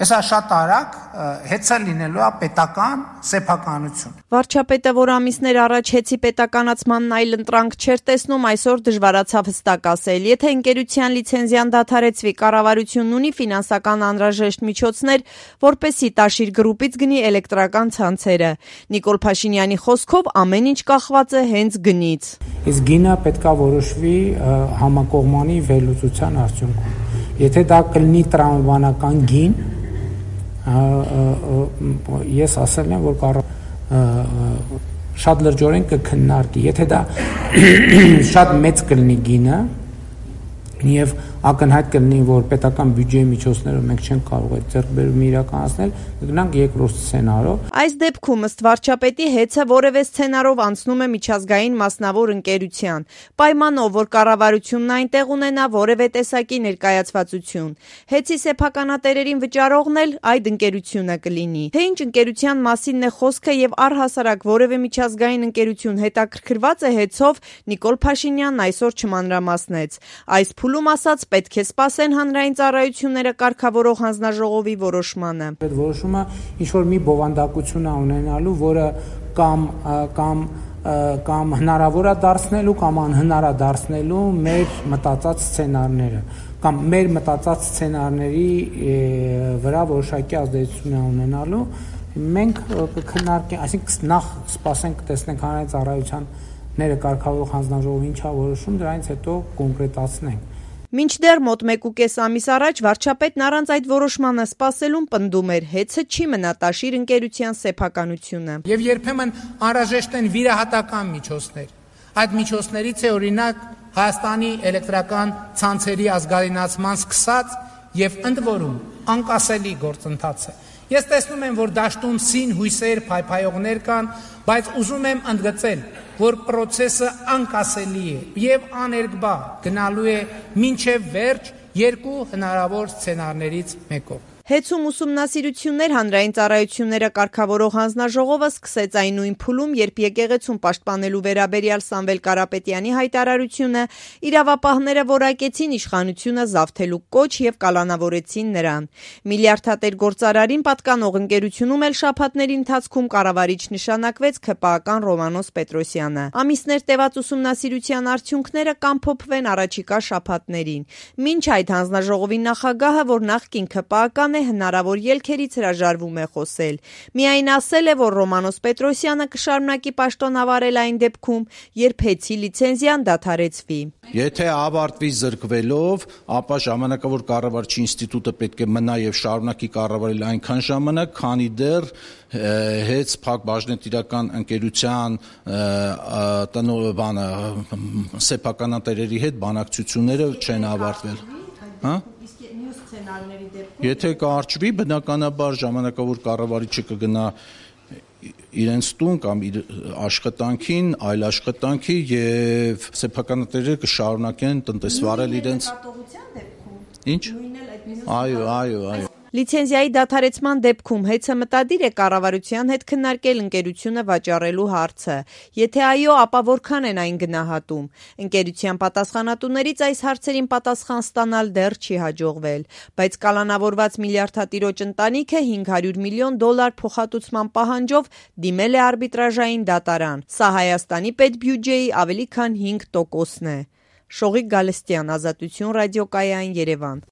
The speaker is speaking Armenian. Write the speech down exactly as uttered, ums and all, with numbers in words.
Հեսա շատ արագ հեծը լինելու է պետական սեփականություն։ Վարչապետը, որ ամիսներ առաջ հեծի պետականացմանն այլ ընտրանք չէր տեսնում, այսօր դժվարացավ հստակ ասել։ Եթե ընկերության լիցենզիան դադարեցվի, կառավարությունն ունի ֆինանսական անհրաժեշտ միջոցներ, որպեսզի Տաշիր գրուպից գնի էլեկտրական ցանցերը։ Նիկոլ Փաշինյանի խոսքով ամեն ինչ կախված է հենց գնից։ Իսկ գինը պետքա որոշվի համակողմանի վերլուծության արդյունքում։ Եթե դա կլինի տրամաբանական գին, ես ասել եմ, որ կարող շատ լրջորեն կքննարկի, եթե դա շատ մեծ կլինի գինը եւ ակնհայտ կլինի, որ պետական բյուջեի միջոցներով մենք չենք կարող այդ ձեռքբերումը իրականացնել, կգնանք երկրորդ սցենարով։ Այս դեպքում ըստ վարչապետի հեծը որևէ սցենարով անցնում է միջազգային մասնավոր ընկերության, պայմանով, որ կառավարությունն այնտեղ ունենա որևէ տեսակի ներկայացվածություն։ Հեծի սեփականատերերին վճարողն էլ այդ ընկերությունը կլինի։ Թե ինչ ընկերության մասինն է խոսքը եւ առհասարակ որևէ միջազգային ընկերություն հետաքրքրված է հեծով, Նիկոլ Փաշինյանն այսօր չմանրամասնեց։ Այս փուլում ասաց, պետք է սպասեն հանրային ծառայությունները կարգավորող հանձնաժողովի որոշմանը։ Այդ որոշումը ինչ որ մի բովանդակություն է ունենալու, որը կամ կամ կամ հնարավոր է դարձնելու կամ անհնար է դարձնելու մեր մտածած սցենարները կամ մեր մտածած սցենարների վրա որոշակի ազդեցություն է ունենալու։ Մենք կքննարկենք, այսինքն նախ սպասենք, տեսնենք հանրային ծառայությունները կարգավորող հանձնաժողովը ինչ է որոշում, դրանից հետո կոնկրետացնենք։ Մինչդեռ մոտ մեկ ու կես ամիս առաջ վարչապետն առանց այդ որոշմանը սպասելուն պնդում էր, հեծը չի մնա Տաշիր ընկերության սեփականությունը։ Եվ երբեմն անհրաժեշտ են վիրահատական միջոցներ։ Այդ միջոցներից է օրինակ Հայաստանի էլեկտրական ցանցերի ազգայնացման սկսած եւ ընդ որում անկասելի գործընթացը։ Ես տեսնում եմ, որ դաշտում սին հույսեր, փայփայողներ կան, բայց ուզում եմ ընդգծել, որ process-ը անկասելի է եւ աներկբա գնալու է մինչեւ վերջ երկու հնարավոր սցենարներից մեկով։ Հեծում ուսումնասիրություններ հանրային ծառայությունները կարգավորող հանձնաժողովը սկսեց այն նույն փուլում, երբ եկեղեցուն պաշտպանելու վերաբերյալ Սամվել Կարապետյանի հայտարարությունը իրավապահները որակեցին իշխանությունը զավթելու կոչ եւ կալանավորեցին նրան։ Միլիարդատեր գործարարին պատկանող ընկերությունում էլ շաբաթների ընթացքում կառավարիչ նշանակվեց ՔՊԱ-ական Ռոմանոս Պետրոսյանը։ Ամիսներ տևած ուսումնասիրության արդյունքները կամփոփվեն առաջիկա շաբաթներին։ Մինչ այդ հանձնաժողովի նախագահը, որ նախկին ՔՊԱ-ական է, հնարավոր ելքերից հրաժարվում է խոսել։ Միայն ասել է, որ Ռոմանոս Պետրոսյանը կշարունակի պաշտոնավարել այն դեպքում, երբ հեծի լիցենզիան դադարեցվի։ Եթե ավարտվի զրկվելով, ապա ժամանակավոր կառավարչի ինստիտուտը պետք է մնա եւ շարունակի կառավարել այնքան ժամանակ, քանի դեռ հեծ փակ բաժնետիրական ընկերության տնօրենը սեփականատերերի հետ բանակցությունները չեն ավարտվել։ Հա? Եթե կարճվի, բնականաբար ժամանակավոր կառավարիչը կգնա իրենց տուն կամ իր աշխատանքին, այլ աշխատանքի եւ սեփականատերերը կշարունակեն տնտեսվարել իրենց։ Ինչ? Այո, այո, այո։ Լիցենզիայի դադարեցման դեպքում հեծը մտադիր է կառավարության հետ քննարկել ընկերությունը վաճառելու հարցը։ Եթե այո, ապա որքան են այն գնահատում։ Ընկերության պատասխանատուներից այս հարցերին պատասխան ստանալ դեռ չի հաջողվել, բայց կալանավորված միլիարդատիրոջ ընտանիքը հինգ հարյուր միլիոն դոլար փոխհատուցման պահանջով դիմել է արբիտրաժային դատարան։ Սա Հայաստանի պետբյուջեի ավելի քան հինգ տոկոսն է։ Շողիկ Գալստյան, Ազատություն ռադիոկայան, Երևան։